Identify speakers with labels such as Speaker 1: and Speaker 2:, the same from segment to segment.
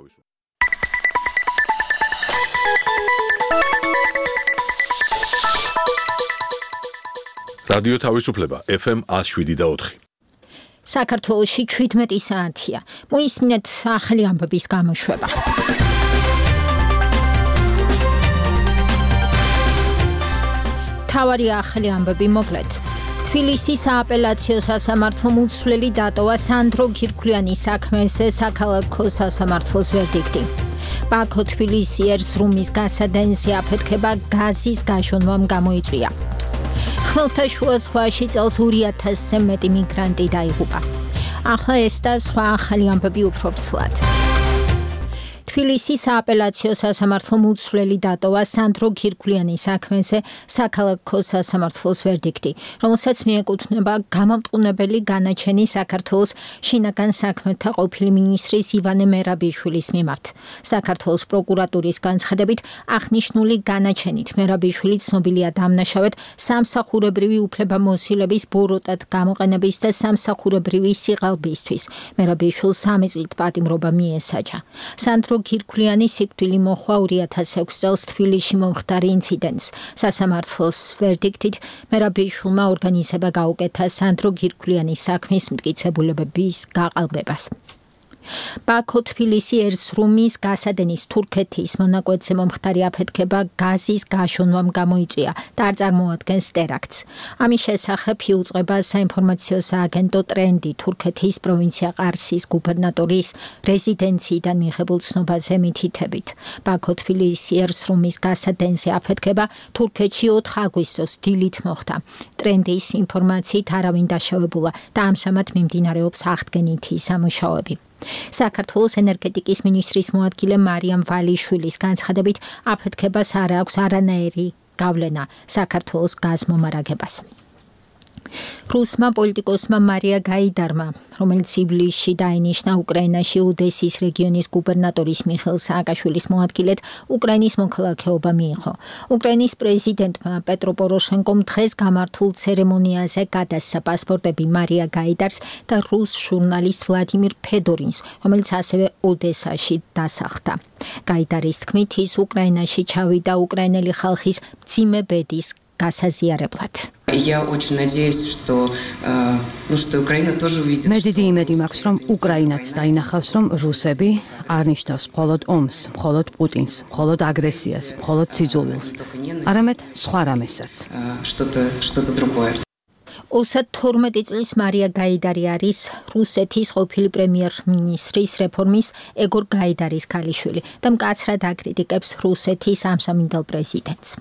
Speaker 1: თავისუფლება. რადიო თავისუფლება FM 107.4.
Speaker 2: საქართველოში 17 საათია. მოისმინეთ ახალი ამბების გამოშვება. თავარი ახალი ამბები მოკლედ. თბილისის სააპელაციო სასამართლომ უცვლელი დატოვა სანდრო გირგვლიანის საქმეზე საქალაქო სასამართლოს ვერდიქტი. ბაქო თბილისი ერზრუმის გასადენზე აფეთქება გაზის გაშონვამ გამოიწვია. ხმელთაშუა ზღვაში წელს 2000-ზე მეტი მიგრანტი დაიღუპა. ახლა ეს და სხვა ახალი ამბები უფრო ვრცლად. თბილისის სააპელაციო სასამართლომ უცვლელი დატოვა სანდრო გირგვლიანის საქმეზე საქალაქო სასამართლოს ვერდიქტი, რომელსაც მიეკუთვნება გამამტყუნებელი განაჩენი საქართველოს შინაგან საქმეთა ყოფილი მინისტრის ივანე მერაბიშვილის მიმართ. საქართველოს პროკურატურის განცხადებით, აღნიშნული განაჩენით მერაბიშვილი ცნობილია დამნაშავედ სამსახურებრივი უფლებამოსილების ბოროტად გამოყენების და სამსახურებრივი სიღალბისთვის. მერაბიშვილს 3 წლით პატიმრობა მიესაჯა. სანდრო გირგვლიანი სიკვდილი მოჰყვა 2006 წელს თბილისში მომხდარ ინციდენტს. სასამართლოს ვერდიქტით მერაბიშვილმა ორგანიზება გაუკეთა სანდრო გირგვლიანის საქმის მტკიცებულებების გაყალბებას. ბაქო თბილისი ერზრუმის გასადენის თურქეთის მონაკვეთზე მომხდარი აფეთქება გაზის გაშონვამ გამოიწვია და არ წარმოადგენს ტერაქტს. ამის შესახებ იუწყება საინფორმაციო სააგენტო ტრენდი თურქეთის პროვინცია ყარსის გუბერნატორის რეზიდენციიდან მიღებულ ცნობაზე მითითებით. ბაქო თბილისი ერზრუმის გასადენზე აფეთქება თურქეთში 4 აგვისტოს დილით მოხდა. ტრენდის ინფორმაციით არავინ დაშავებულა და ამჟამად მიმდინარეობს აღდგენითი სამუშაოები. საქართველოს ენერგეტიკის მინისტრის მოადგილე მარიამ ვალიშვილის განცხადებით აფეთქებას არ აქვს არანაირი გავლენა საქართველოს გაზმომარაგებას. რუსმა პოლიტიკოსმა მარია გაიდარმა, რომელიც ივლისში დაინიშნა უკრაინაში ოდესის რეგიონის გუბერნატორის მიხეილ სააკაშვილის მოადგილედ უკრაინის მოქალაქეობა მიიღო. უკრაინის პრეზიდენტმა პეტრო პოროშენკომ დღეს გამართულ ცერემონიაზე გადასცა პასპორტები მარია გაიდარს და რუს ჟურნალისტ ვლადიმირ ფედორინს, რომელიც ასევე ოდესაში დასახლდა. გაიდარის თქმით, ის უკრაინაში ჩავიდა უკრაინელი ხალხის მძიმე ბედის გასაზიარებლად.
Speaker 3: Я очень надеюсь, что Украина тоже увидит.
Speaker 4: მე დიდი იმედი მაქვს, რომ უკრაინაც დაინახავს, რომ რუსები არ ნიშნავს მხოლოდ ომს, მხოლოდ პუტინს, მხოლოდ აგრესიას, მხოლოდ სიძულვილს, არამედ სხვა რამესაც.
Speaker 3: Что-то другое.
Speaker 2: 32 წლის მარია გაიდარი არის რუსეთის ყოფილი პრემიერ-მინისტრის რეფორმის ეგორ გაიდარის ქალიშვილი და მკაცრად აკრიტიკებს რუსეთის ამჟამინდელ პრეზიდენტს.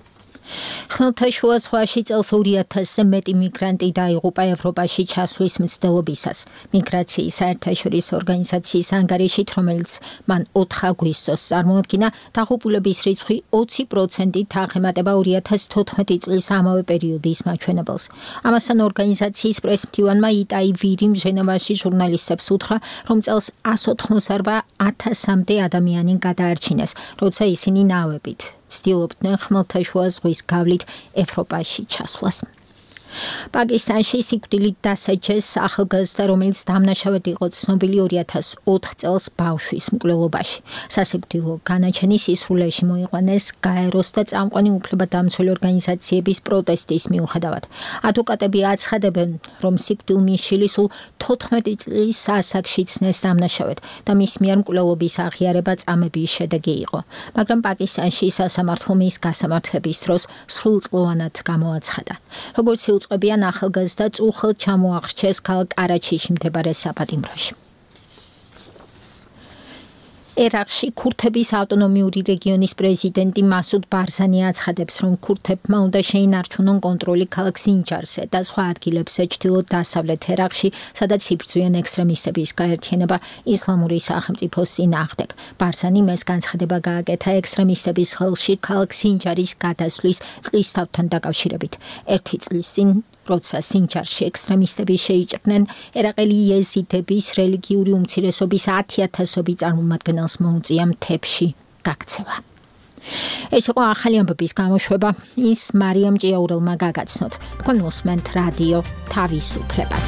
Speaker 2: ხმელთაშუა ზღვაში წელს 2000-ზე მეტი მიგრანტი დაიღუპა ევროპაში ჩასვლის მცდელობისას. მიგრაციის საერთაშორისო ორგანიზაციის ანგარიშით, რომელიც მან 4 აგვისტოს წარმოადგინა, დაღუპულების რიცხვი 20%-ით აღემატება 2014 წლის ამავე პერიოდის მაჩვენებელს. ამასთან ორგანიზაციის პრესმდივანმა იტაი ვირიმ ჟენევაში ჟურნალისტებს უთხრა, რომ წელს 188,000-მდე ადამიანი გადაარჩინეს, როცა ისინი ნავებით ცდილობდნენ ხმელთაშუა ზღვის გავლით ევროპაში ჩასვლას. პაკისტანში სიკვდილით დასაჯეს ახალგაზრდა, რომელიც დამნაშავედ იყო ცნობილი 2004 წელს ბავშვის მკვლელობაში. სასიკვდილო განაჩენი სისრულეში მოიყვანეს გაეროს და წამყვანი უფლებადამცველი ორგანიზაციების პროტესტის მიუხედავად. ადვოკატები აცხადებენ, რომ სიკვდილმიშილი სულ 14 წლის ასაკში ცნეს დამნაშავედ და მის მიერ მკვლელობის აღიარება წამების შედეგი იყო. მაგრამ პაკისტანში სასამართლო მის გასამართლების დროს სრულწლოვანად გამოაცხადა. როგორც უწყებიან ახალგაზრდა წუხელთ ჩამოაღრჩეს ქალაქ ყარაჩიში მდებარე საპატიმროში. ერაყში ქურთების ავტონომიური რეგიონის პრეზიდენტი მასუდ ბარზანი აცხადებს, რომ ქურთებმა უნდა შეინარჩუნონ კონტროლი ქალაქ სინჯარზე და სხვა ადგილებზე ჩრდილო-დასავლეთ ერაყში, სადაც იბრძვიან ექსტრემისტების გაერთიანება ისლამური სახელმწიფოს წინააღმდეგ. ბარზანი მეს განცხადება გააკეთა ექსტრემისტების ხელში ქალაქ სინჯარის გადასვლის წლისთავთან დაკავშირებით. 1 წლის წინ როცა სინჯარში ექსტრემისტები შეიჭრნენ, ერაყელი იეზიდების რელიგიური უმცირესობის 10,000 წარმომადგენელს მოუწია მთებში გაქცევა. ეს იყო ახალი ამბების გამოშვება, ის მარიამ ჭიაურელმა გაგაცნოთ. თქვენ უსმენთ რადიო თავისუფლებას.